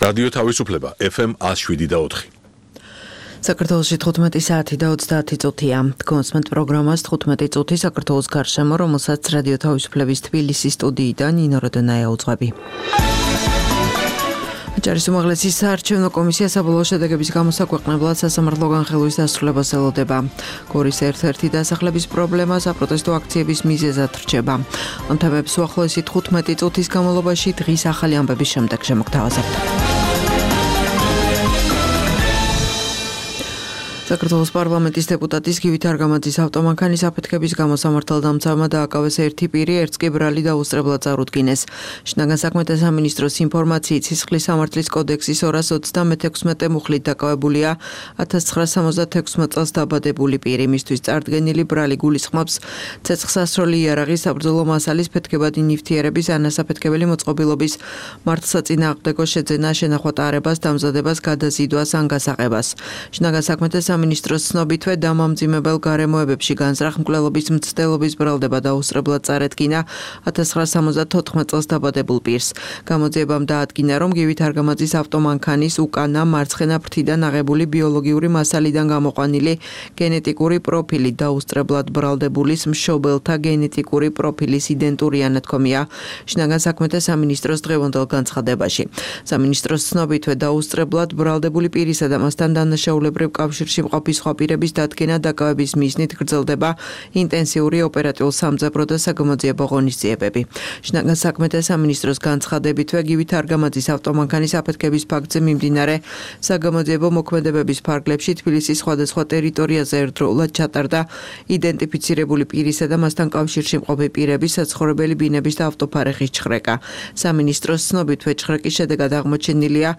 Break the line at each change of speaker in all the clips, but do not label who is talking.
რადიო თავისუფლება FM 107.4.
საქართველოში 15 საათი და 30 წუთია. კონსმენტ პროგრამას 15 წუთი საქართველოს გარშემო, რომელსაც რადიო თავისუფლების თბილისის სტუდიიდან ნინო როდონაია უძღვები. ჯარის უმაღლესი საარჩევნო კომისია საბოლოო შედეგების გამოსაქვეყნებლად სასამართლო განხილვის დასრულებას ელოდება. გორის ერთ-ერთი დასახლების პრობლემა საპროტესტო აქციების მიზეზად რჩება. ამ თემებს უახლოესი 15 წუთის განმავლობაში დღის ახალი ამბების შემდეგ შემოგთავაზებთ. საქართველოს პარლამენტის დეპუტატის გივით არგამაძის ავტომანქანის აფეთქების გამო სამართალდამცავმა დააკავეს ერთი პირი, ერთს კი ბრალი დაუსწრებლად წარუდგინეს. შინაგან საქმეთა სამინისტროს ინფორმაციით სისხლის სამართლის კოდექსის 236 მუხლით დაკავებულია 1976 წელს დაბადებული პირი. მისთვის წარდგენილი ბრალი გულისხმობს ცეცხლსასროლი იარაღის საბრძოლო მასალის ფეთქებადი ნივთიერების ანასაფეთქებელი მოწყობილობის მართლსაწინააღმდეგო შეძენა, შენახვა ტარებას, დამზადებას, გადაზიდვას ან გასაღებას. შინაგან საქმეთა სამინისტროს ცნობითვე დამამძიმებელ გარემოებებში განზრახ მკვლელობის მცდელობის ბრალდება დაუსწრებლად წარედგინა 1974 წელს დაბადებულ პირს. გამოძიებამ დაადგინა, რომ გივით არგამაძის ავტომანქანის უკანა მარცხენა ფრთიდან აღებული ბიოლოგიური მასალიდან გამოყვანილი გენეტიკური პროფილი დაუსწრებლად ბრალდებულის მშობელთა გენეტიკური პროფილის იდენტური ანათქომია შინაგან საქმეთა სამინისტროს დღევანდელ განცხადებაში. სამინისტროს ცნობითვე დაუსწრებლად ბრალდებული პირისა და მასთან დანაშაულებრივ კავშირში მყოფი სხვა პირების დადგენა დაკავების მიზნით გრძელდება ინტენსიური ოპერატიულ-სამძებრო და საგამოძიებო ღონისძიებები. შინაგან საქმეთა სამინისტროს განცხადებითვე გივით არგამაძის ავტომანქანის აფეთქების ფაქტზე მიმდინარე საგამოძიებო მოქმედებების ფარგლებში თბილისის სხვადასხვა ტერიტორიაზე ერთდროულად ჩატარდა იდენტიფიცირებული პირისა და მასთან კავშირში მყოფი პირების საცხოვრებელი ბინების და ავტოფარეხის ჩხრეკა. სამინისტროს ცნობითვე ჩხრეკის შედეგად აღმოჩენილია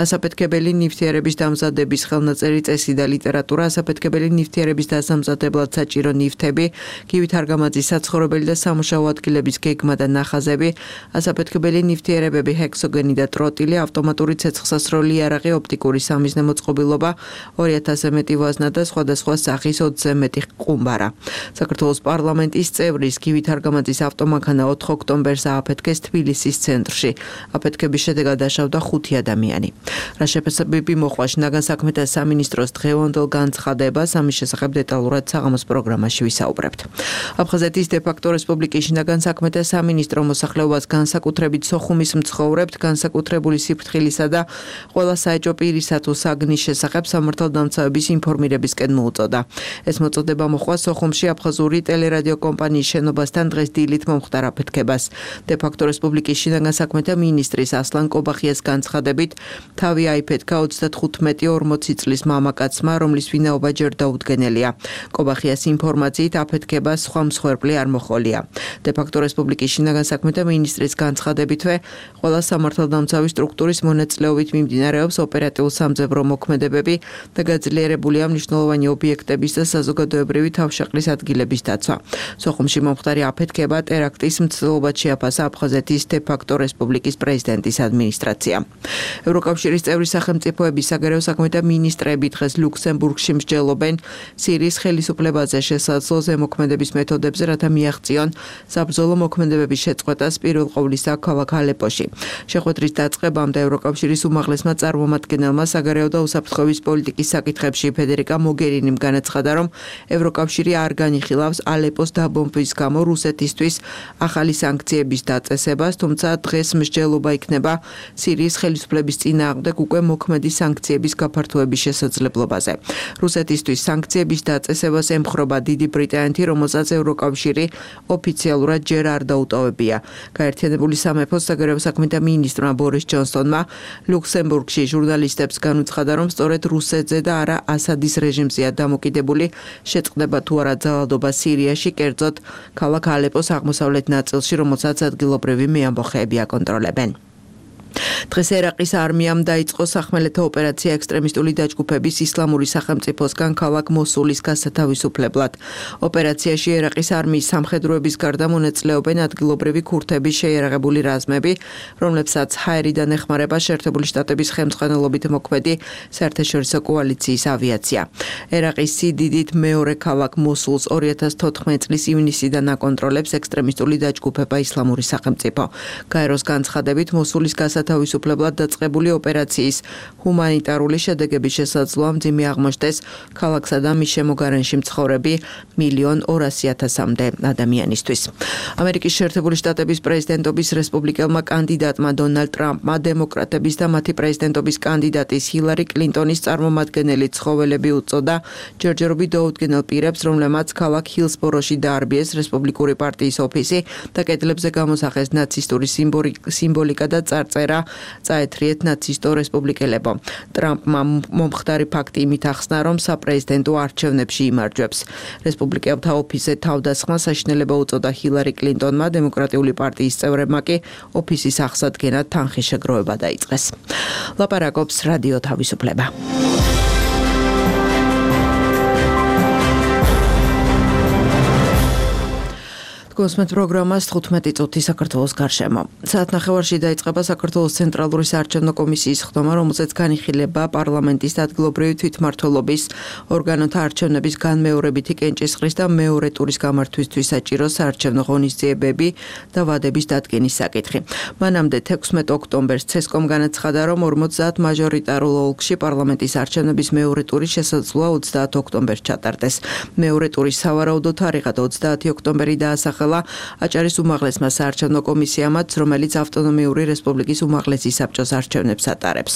ასაფეთქებელი ნივთიერების დამზადების ხელნაწერი წესი და ლიტერატურა, ასაფეთქებელი ნივთიერების დასამზადებლად საჭირო ნივთები, გივით არგამაძის საცხოვრებელი და სამუშაო ადგილების გეგმა და ნახაზები, ასაფეთქებელი ნივთიერებები, ჰექსოგენი და ტროტილი, ავტომატური ცეცხლსასროლი იარაღი, ოპტიკური სამიზნე მოწყობილობა, 2000-ზე მეტი ვაზნა და სხვადასხვა სახის 20-ზე მეტი ყუმბარა. საქართველოს პარლამენტის წევრის გივით არგამაძის ავტომანქანა 4 ოქტომბერს ააფეთქეს თბილისის ცენტრში. აფეთქების შედეგად დაშავდა 5 ადამიანი. რა შეფასებები მოხდა შინაგან საქმეთა სამინისტროს დღევანდელ განცხადებას, ამის შესახებ დეტალურად საღამოს პროგრამაში ვისაუბრებთ. აფხაზეთის დე-ფაქტო რესპუბლიკის შინაგან საქმეთა სამინისტრო მოსახლეობას განსაკუთრებით სოხუმის მცხოვრებთ, განსაკუთრებული სიფრთხილისა და ყველა საეჭვო პირისა თუ საგნის შესახებ სამართალდამცავების ინფორმირებისკენ მოუწოდა. ეს მოწოდება მოხდა სოხუმში აფხაზური ტელერადიო კომპანიის შენობასთან დღეს დილით მომხდარ აფეთქებას. დე-ფაქტო რესპუბლიკის შინაგან საქმეთა მინისტრის ასლან კობახიას განცხადებით, თავი აიფეთქა 35-40 წლის მამაკაცმა, რომლის ვინაობა ჯერ დაუდგენელია. კობახიას ინფორმაციით აფეთქება სხვა მსხვერპლი არ მოჰყოლია. დე-ფაქტო რესპუბლიკის შინაგან საქმეთა მინისტრის განცხადებითვე, ყველა სამართალდამცავი სტრუქტურის მონაწილეობით მიმდინარეობს ოპერატიულ-სამძებრო მოქმედებები და გაძლიერებულია მნიშვნელოვანი ობიექტების და საზოგადოებრივი თავშეყრის ადგილების დაცვა. სოხუმში მომხდარი აფეთქება ტერაქტის მცდელობად შეაფასა აფხაზეთის დე-ფაქტო რესპუბლიკის პრეზიდენტის ადმინისტრაცია. ევროკავშირის წევრი სახელმწიფოების საგარეო საქმეთა მინისტრები დღეს ლუქსემბურგში მსჯელობენ სირიის ხელისუფლებაზე შესაძლო ზემოქმედების მეთოდებზე, რათა მიაღწიონ საბრძოლო მოქმედებების შეწყვეტას პირველ ყოვლისა ქალაქ ალეპოში. შეხვედრის დაწყებამდე ევროკავშირის უმაღლესმა წარმომადგენელმა საგარეო და უსაფრთხოების პოლიტიკის საკითხებში ფედერიკა მოგერინიმ განაცხადა, რომ ევროკავშირი არ განიხილავს ალეპოს დაბომბვის გამო რუსეთისთვის ახალი სანქციების დაწესებას, თუმცა დღეს მსჯელობა იქნება სირიის ხელისუფლების წინააღმდეგ უკვე მოქმედი სანქციების გაფართოების შესაძლებლობაზე. რუსეთისთვის სანქციების დაწესებას ემხრობა დიდი ბრიტანეთი, რომელსაც ევროკავშირი ოფიციალურად ჯერ არ დაუტოვებია. გაერთიანებული სამეფოს საგარეო საქმეთა მინისტრმა ბორის ჯონსონმა ლუქსემბურგში ჟურნალისტებს განუცხადა, რომ სწორედ რუსეთზე და არა ასადის რეჟიმზეა დამოკიდებული შეწყდება თუ არა ძალადობა სირიაში, კერძოდ ქალაქ ალეპოს აღმოსავლეთ ნაწილში, რომელსაც ადგილობრივი მეამბოხეები აკონტროლებენ. დღეს ერაყის არმიამ დაიწყო სახმელეთო ოპერაცია ექსტრემისტული დაჯგუფების ისლამური სახელმწიფოსგან ქალაქ მოსულის გასათავისუფლებლად. ოპერაციაში ერაყის არმიის სამხედროების გარდა მონაწილეობენ ადგილობრივი ქურთების შეიარაღებული რაზმები, რომლებსაც ჰაერიდან ეხმარება შეერთებული შტატების ხელმძღვანელობით მოქმედი საერთაშორისო კოალიციის ავიაცია. ერაყის სიდიდით მეორე ქალაქ მოსულს 2014 წლის ივნისიდან აკონტროლებს ექსტრემისტული დაჯგუფება ისლამური სახელმწიფო. გაეროს განცხადებით მოსულის გათავისუფლებლად დაწყებული ოპერაციის ჰუმანიტარული შედეგების შესაძლოა მძიმე აღმოჩნდეს ქალაქსა და მის შემოგარენში მცხოვრები 1,200,000-მდე ადამიანისთვის. ამერიკის შეერთებული შტატების პრეზიდენტობის რესპუბლიკელმა კანდიდატმა დონალდ ტრამპმა დემოკრატების და მათი პრეზიდენტობის კანდიდატის ჰილარი კლინტონის წარმომადგენელი ცხოველები უწოდა ჯერჯერობით დაუდგენელ პირებს, რომლებმაც ქალაქ ჰილსბოროში დაარბიეს რესპუბლიკური პარტიის ოფისი და კედლებზე გამოსახეს ნაცისტური სიმბოლიკა და წარწერა წაეთრიეთ ნაცისტო რესპუბლიკელებო. ტრამპმა მომხდარი ფაქტი იმით ახსნა, რომ საპრეზიდენტო არჩევნებში იმარჯვებს. რესპუბლიკელთა ოფისზე თავდასხმა საშინელება უწოდა ჰილარი კლინტონმა, დემოკრატიული პარტიის წევრებმა კი ოფისის აღსადგენად თანხის შეგროვება დაიწყეს. ლაპარაკობს რადიო თავისუფლება. გოსმეთ პროგრამას 15 წუთი საქართველოს გარშემო. საათნახევარში დაიწყება საქართველოს ცენტრალური საარჩევნო კომისიის ხდომა, რომელზეც განიხილება პარლამენტის ადგილობრივი თვითმმართველობის ორგანოთა არჩევნების განმეორებითი კენჭისყრის და მეორე ტურის გამართვისთვის საჭირო საარჩევნო ღონისძიებები და ვადების დადგენის საკითხი. მანამდე 16 ოქტომბერს ცესკომ განაცხადა, რომ 50 მაჟორიტარულ ოლქში პარლამენტის არჩევნების მეორე ტური შესაძლოა 30 ოქტომბერს ჩატარდეს. მეორე ტურის სავარაუდო თარიღად 30 ოქტომბერი დაასახელა აჭარის უმაღლესმა საარჩევნო კომისიამაც, რომელიც ავტონომიური რესპუბლიკის უმაღლესი საბჭოს არჩევნებს ატარებს.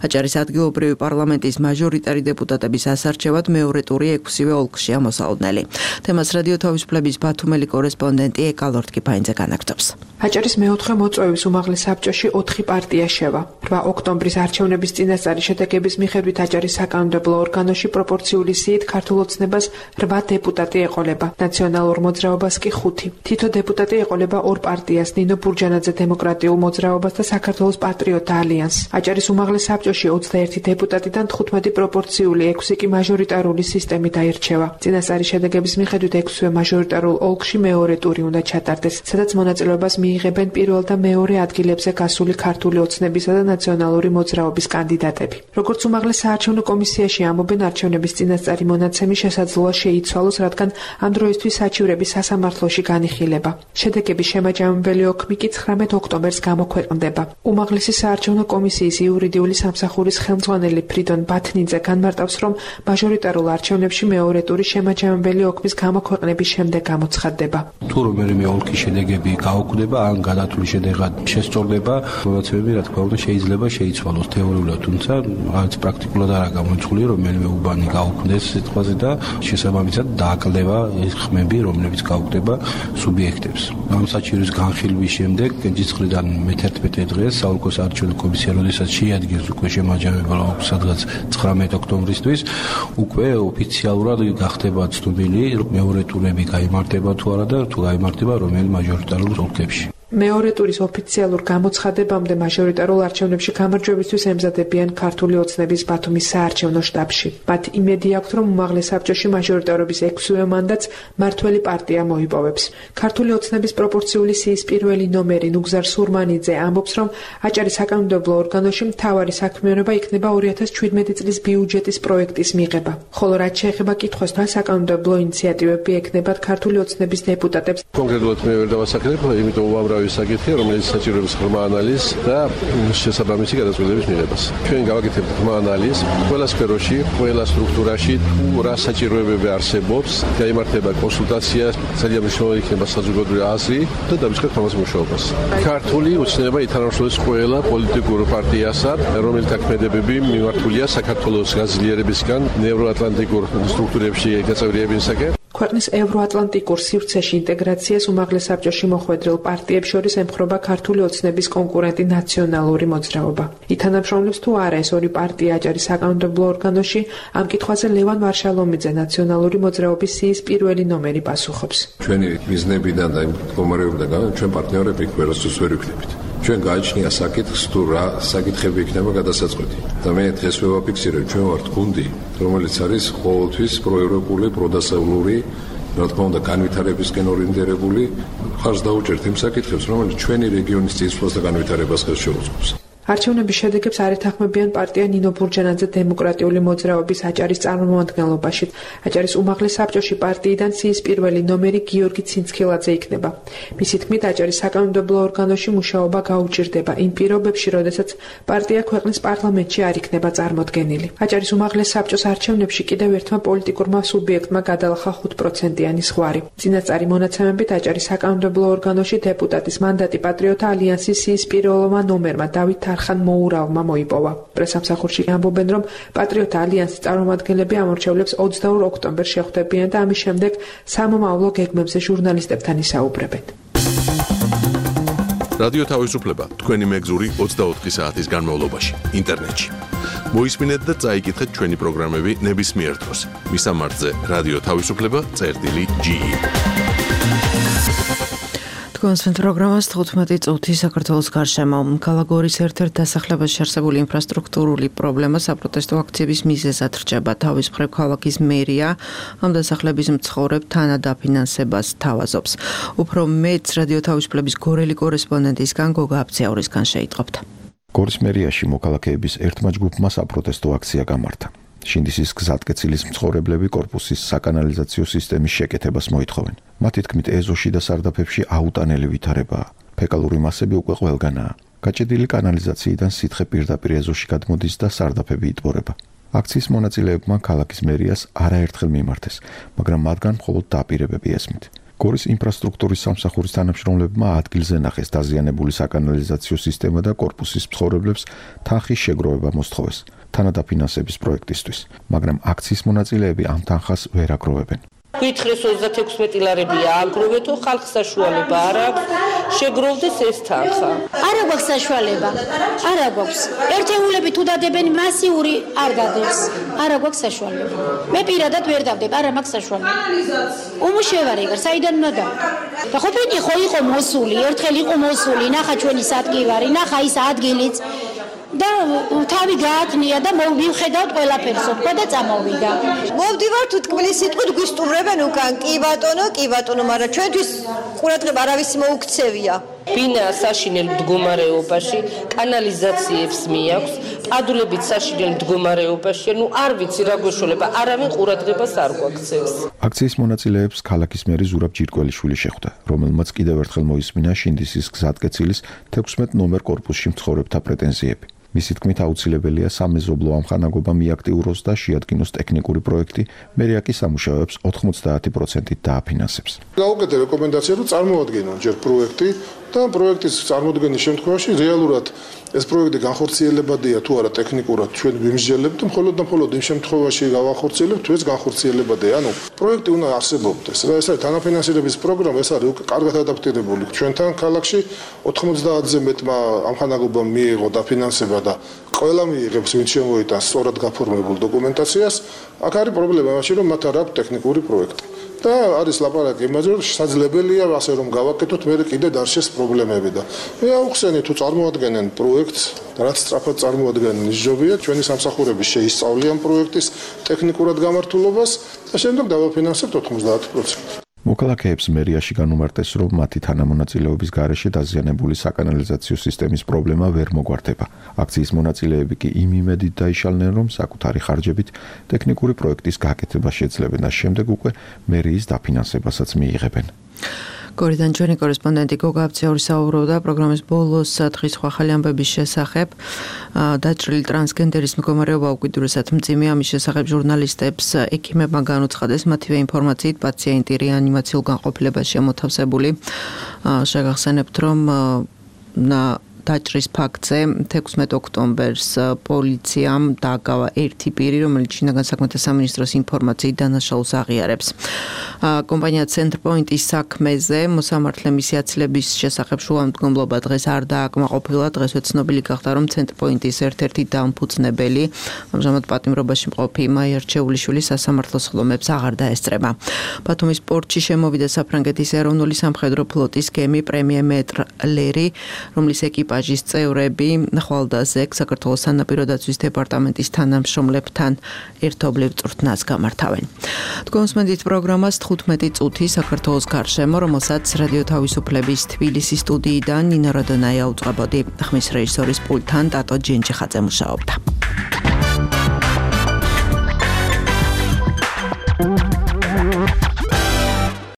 აჭარის ადგილობრივი პარლამენტის მაჟორიტარი დეპუტატების ასარჩევად მეორე ტური 6-ვე ოლქშია მოსალოდნელი. თემას რადიო თავისუფლების ბათუმელი კორესპონდენტი ეკალორდ კიფაინძე განაგრძობს.
აჭარის მეოთხე მოწვევის უმაღლეს საბჭოში 4 პარტია შევა. 8 ოქტომბრის არჩევნების წინასწარი შედეგების მიხედვით აჭარის საკანონმდებლო ორგანოში პროპორციული სიით ქართულ ოცნებას 8 დეპუტატი ეყოლება, ნაციონალურ მოძრაობას კი 5. თითო დეპუტატი ეყოლება 2 პარტიას, ნინო ბურჯანაძე დემოკრატიულ მოძრაობას და საქართველოს პატრიოტთა ალიანსს. აჭარის უმაღლეს საბჭოში 21 დეპუტატიდან 15 პროპორციული, 6 კი მაჟორიტარული სისტემით აირჩევა. წინასწარი შედეგების მიხედვით 6-ვე მაჟორიტარულ ოლქში მეორე ტური უნდა ჩატარდეს, სადაც მონაწილეობას მიიღებენ პირველ და მეორე ადგილებზე გასული ქართული ოცნებისა და ნაციონალური მოძრაობის კანდიდატები. როგორც უმაღლეს საარჩევნო კომისიაში ამბობენ, არჩევნების წინასწარი მონაცემი შესაძლოა შეიცვალოს, რადგან ამ დროისთვის საჩივრები სასამართლოში განიხილება. შედეგების შემაჯამებელი ოქმი კი 19 ოქტომბერს გამოქვეყნდება. უმაღლესი საარჩევნო კომისიის იურიდიული სამსახურის ხელმძღვანელი ფრიდონ ბათნიძე განმარტავს, რომ მაჟორიტარულ არჩევნებში მეორე ტურის შემაჯამებელი ოქმის გამოქვეყნების შემდეგ გამოცხადდება.
თუ რომელიმე ოლქის შედეგები გაუქმდება, ან გადათვლილი შედეგად შესწორდება, მონაცემები რა თქმა უნდა შეიძლება შეიცვალოს თეორიულად, თუმცა არც პრაქტიკულად არა გამოიცხული, რომ რომელიმე უბანი გაუქმდეს სიტყვაზე და შესაბამისად დააკლდება ეს ხმები, რომლებიც გაუქმდება სუბიექტებს. ამ საჩივრის განხილვის შემდეგ კენჭისყრიდან მე-11 დღეს საოლქო საარჩევნო კომისია, როდესაც შეადგენს უკვე შემაჯამებელ ოლქს, სადღაც 19 ოქტომბრისთვის, უკვე ოფიციალურად გახდება ცნობილი, რომ მეორე ტურები გაიმართება თუ არა და თუ გაიმართება რომელ მაჟორიტარულ ოლქებში.
მეორე ტურის ოფიციალურ გამოცხადებამდე მაჟორიტარულ არჩევნებში გამარჯვებისთვის ემზადებიან ქართული ოცნების ბათუმის საარჩევნო შტაბში. მათ იმედი აქვთ, რომ უმაღლეს საბჭოში მაჟორიტარობის 6-ვე მანდატს მართველი პარტია მოიპოვებს. ქართული ოცნების პროპორციული სიის პირველი ნომერი ნუგზარ სურმანიძე ამბობს, რომ აჭარის საკანონმდებლო ორგანოში მთავარი საქმიანობა იქნება 2017 წლის ბიუჯეტის პროექტის მიღება. ხოლო რაც შეეხება კითხვას, რა საკანონმდებლო ინიციატივები ექნებათ ქართული ოცნების დეპუტატებს.
კონკრეტულად მე ვერ დავასახელებ, იმიტომ უამრავი საკითხია, რომელიც საჭიროებს ღრმა ანალიზს და შესაბამისი გადაწყვეტილების მიღებას. ჩვენ გავაკეთებთ ღრმა ანალიზს ყველა სფეროში, ყველა სტრუქტურაში, თუ რა საჭიროებები არსებობს, გაიმართება კონსულტაცია, ძალიან მნიშვნელოვანი იქნება საზოგადოებრივი აზრი და დავიწყებთ ამას მუშაობას. ქართული ოცნება ითანამშრომლებს ყველა პოლიტიკურ პარტიასთან, რომელთა ქმედებები მიმართულია საქართველოს გაძლიერებისგან ევროატლანტიკურ სტრუქტურებში გაწევრიებისაკენ.
ქვეყნის ევროატლანტიკურ სივრცეში ინტეგრაციას უმაღლეს საბჭოში მოხვედრილ პარტიებს შორის ემხრობა ქართული ოცნების კონკურენტი ნაციონალური მოძრაობა. ითანამშრომლებს თუ არა ეს ორი პარტია აჭარის საკანონმდებლო ორგანოში, ამ კითხვაზე ლევან ვარშალომიძე ნაციონალური მოძრაობის სიის პირველი ნომერი პასუხობს.
ჩვენი მიზნებიდან და მდგომარეობიდან ჩვენ პარტნიორები ვერასდროს ვერ ვიქნებით. ჩვენ გააჩნია საკითხს თუ რა საკითხები იქნება გადასაწყვეტი. და მე დღეს ვაფიქსირებ, ჩვენ ვართ გუნდი, რომელიც არის ყოველთვის პროევროპული, პროდასავლური, რა თქმა უნდა, განვითარებისკენ ორიენტირებული, ხარს დაუჭერთ იმ საკითხებს, რომელიც ჩვენი რეგიონის წინსვლას და განვითარებას ხელს შეუწყობს.
არჩევნების შედეგებს არ ეთანხმებიან პარტია ნინო ბურჯანაძე დემოკრატიული მოძრაობის აჭარის წარმომადგენლობაში. აჭარის უმაღლეს საბჭოში პარტიიდან სიის პირველი ნომერი გიორგი ცინცქილაძე იქნება. მისი თქმით, აჭარის საკანონმდებლო ორგანოში მუშაობა გაუჭირდება იმ პირობებში, როდესაც პარტია ქვეყნის პარლამენტში არ იქნება წარმოდგენილი. აჭარის უმაღლეს საბჭოს არჩევნებში კიდევ ერთმა პოლიტიკურმა სუბიექტმა გადალახა 5%-იანი ზღვარი. წინასწარი მონაცემებით აჭარის საკანონმდებლო ორგანოში დეპუტატის მანდატი პატრიოტთა ალიანსის სიის პირველმა ნომერმა დავით თარხან მოურავმა მოიპოვა. პრესამსახურში ამბობენ, რომ პატრიოტთა ალიანსის წარმომადგენლები ამორჩევლებს 22 ოქტომბერს შეხვდებიან და ამის შემდეგ სამომავლო გეგმებზე ჟურნალისტებთან ისაუბრებენ.
რადიო თავისუფლება თქვენი მეგზური 24 საათის განმავლობაში ინტერნეტში. მოისმინეთ და წაიკითხეთ ჩვენი პროგრამები ნებისმიერ დროს. მისამართზე რადიო თავისუფლება.ge.
თქვენს პროგრამას 15 წუთი საქართველოს გარშემო. ქალაქგორის ერთ-ერთ დასახლებაში არსებული ინფრასტრუქტურული პრობლემა საპროტესტო აქციების მიზეზად რჩება. თავის მხრივ ქალაქის მერია ამ დასახლების მცხოვრებ თანადაფინანსებას თავაზობს. უფრო მეტს რადიო თავისუფლების გორელი კორესპონდენტისგან გოგა აბციაურისგან შეიტყობთ.
გორის მერიაში მოქალაქეების ერთმა ჯგუფმა საპროტესტო აქცია გამართა. შინდისის გზატკეცილის მცხოვრებლები კორპუსის საკანალიზაციო სისტემის შეკეთებას მოითხოვენ. მათი თქმით, ეზოში და სარდაფებში აუტანელი ვითარებაა. ფეკალური მასები უკვე ყველგანაა. გაჭედილი კანალიზაციიდან სითხე პირდაპირ ეზოში გადმოდის და სარდაფები იტბორება. აქციის მონაწილეებმა ქალაქის მერიას არაერთხელ მიმართეს, მაგრამ მათგან მხოლოდ დაპირებები ესმით. გორის ინფრასტრუქტურის სამსახურის თანამშრომლებმა ადგილზე ნახეს დაზიანებული საკანალიზაციო სისტემა და კორპუსის მცხოვრებლებს თანხის შეგროვება მოსთხოვეს თანადაფინანსების პროექტისთვის, მაგრამ აქციის მონაწილეები ამ თანხას ვერ აგროვებენ.
გითხრეს 36 ლარები ააგროვეთო, ხალხს საშუალება არ აქვს შეგროვდეს ეს თანხა.
არ აქვს საშუალება. არ აქვს. ერთეულები თუ დადებენ მასიური არ დადებს. არ აქვს საშუალება. მე პირადად ვერ დავდებ, არ მაქვს საშუალება. უმუშევარი ვარ, საიდან უნდა დავდე? და ყოფილი იყო მოსული, ერთხელ იყო მოსული, ნახა ჩვენი სადგივარი, ნახა ის ადგილიც. და თავი გაათნია და მივხედავთ ყველაფერს თქვა და წამოვიდა.
მოვდივართ თქმის სიტყვით გვისტუმრებენ უკან. კი ბატონო, მაგრამ ჩვენთვის ყურადღება არავის მოუქცევია.
ბინა საშინელ მდგომარეობაში, კანალიზაციებს მიაქვს, პადულებიც საშინელ მდგომარეობაში, არ ვიცი რა გვეშველება, არავინ ყურადღებას არ გვაქცევს.
აქციის მონაწილეებს ქალაქის მერი ზურაბ ჯირკველიშვილი შეხვდა, რომელმაც კიდევ ერთხელ მოისმინა შინდისის გზატკეცილის 16 ნომერ კორპუსში მცხოვრებთა პრეტენზიები. მისი თქმით, აუცილებელია სამეზობლო ამხანაგობა მიაქტიუროს და შეადგინოს ტექნიკური პროექტი, მერია კი სამუშაოებს 90% დააფინანსებს.
გაუკეთე რეკომენდაცია, რომ წარმოადგინონ ჯერ პროექტი და პროექტის წარმოქმნის შემთხვევაში რეალურად ეს პროექტი განხორციელებადია თუ არა ტექნიკურად ჩვენ ვიმსჯელებთ, მხოლოდ იმ შემთხვევაში გავახორციელებთ, თუ ეს განხორციელებადია. ანუ პროექტი უნდა არსებობდეს. ეს არის თანაფინანსირების პროგრამა, ეს არის კარგად ადაპტირებული. ჩვენთან ქალაქში 90-ზე მეტმა ამხანაგობამ მიიღო დაფინანსება და ყველა მიიღებს ვინც შემოიტანს სწორად გაფორმებულ დოკუმენტაციას. აქ არის პრობლემა იმაში, რომ მათ არ აქვს ტექნიკური პროექტი. და არის ლაპარაკი იმაზე, რომ შესაძლებელია ასე რომ გავაკეთოთ, მე კიდე დარჩეს პრობლემები და მე აუხსენე თუ წარმოადგენენ პროექტს, რაც სწრაფად წარმოადგენენ ისჯობია, ჩვენი სამსახურები შეისწავლიან პროექტის ტექნიკურად გამართულობას და შემდეგ დავაფინანსებთ 90%.
მოქალაქეებს მერიაში განუმარტეს, რომ მათი თანამონაწილეობის გარეშე დაზიანებული საკანალიზაციო სისტემის პრობლემა ვერ მოგვარდება. აქციის მონაწილეები კი იმ იმედით დაიშალნენ, რომ საკუთარი ხარჯებით ტექნიკური პროექტის გაკეთება შეძლებენ და შემდეგ უკვე მერიის დაფინანსებასაც მიიღებენ.
გორიდან ჩვენი კორესპონდენტი გოგა აბციური საუბრობდა პროგრამის ბოლოს დღის სხვა ახალი ამბების შესახებ. დაჭრილი ტრანსგენდერის მდგომარეობა უკიდურესად მძიმე, ამის შესახებ ჟურნალისტებს ექიმებმა განუცხადეს, მათივე ინფორმაციით პაციენტი რეანიმაციულ განყოფილებაში მოთავსებული. შეგახსენებთ, რომ დაჭრის ფაქტზე 16 ოქტომბერს პოლიციამ დააგავა ერთი პირი, რომელიც შინაგან საქმეთა სამინისტროს ინფორმაციით დანაშაულს აღიარებს. კომპანია ცენტრპოინტის საქმეზე მოსამართლე მისი აცილების შესახებ შუამდგომლობა დღეს არ დააკმაყოფილა. დღესვე ცნობილი გახდა, რომ ცენტრპოინტის ერთ-ერთი დამფუძნებელი, ამჟამად პატიმრობაში მყოფი მაია რჩეულიშვილი სასამართლოს ხლომებს აღარ დაესწრება. ბათუმის პორტში შემოვიდა საფრანგეთის ეროვნული სამხედრო ფლოტის გემი პრემიერ მეტრ ლერი, რომლის ეკიპაჟი ეკიპაჟის წევრები ხვალდაზე საქართველოს სანაპირო დაცვის დეპარტამენტის თანამშრომლებთან ერთობლივ წვრთნას გამართავენ. თქვენს მედით პროგრამას 15 წუთი საქართველოს გარშემო, რომელსაც რადიო თავისუფლების თბილისის სტუდიიდან ნინო როდონაია უწყებოდი. ხმის რეჟისორის პულტთან ტატო ჯენჯიხაძე მუშაობდა.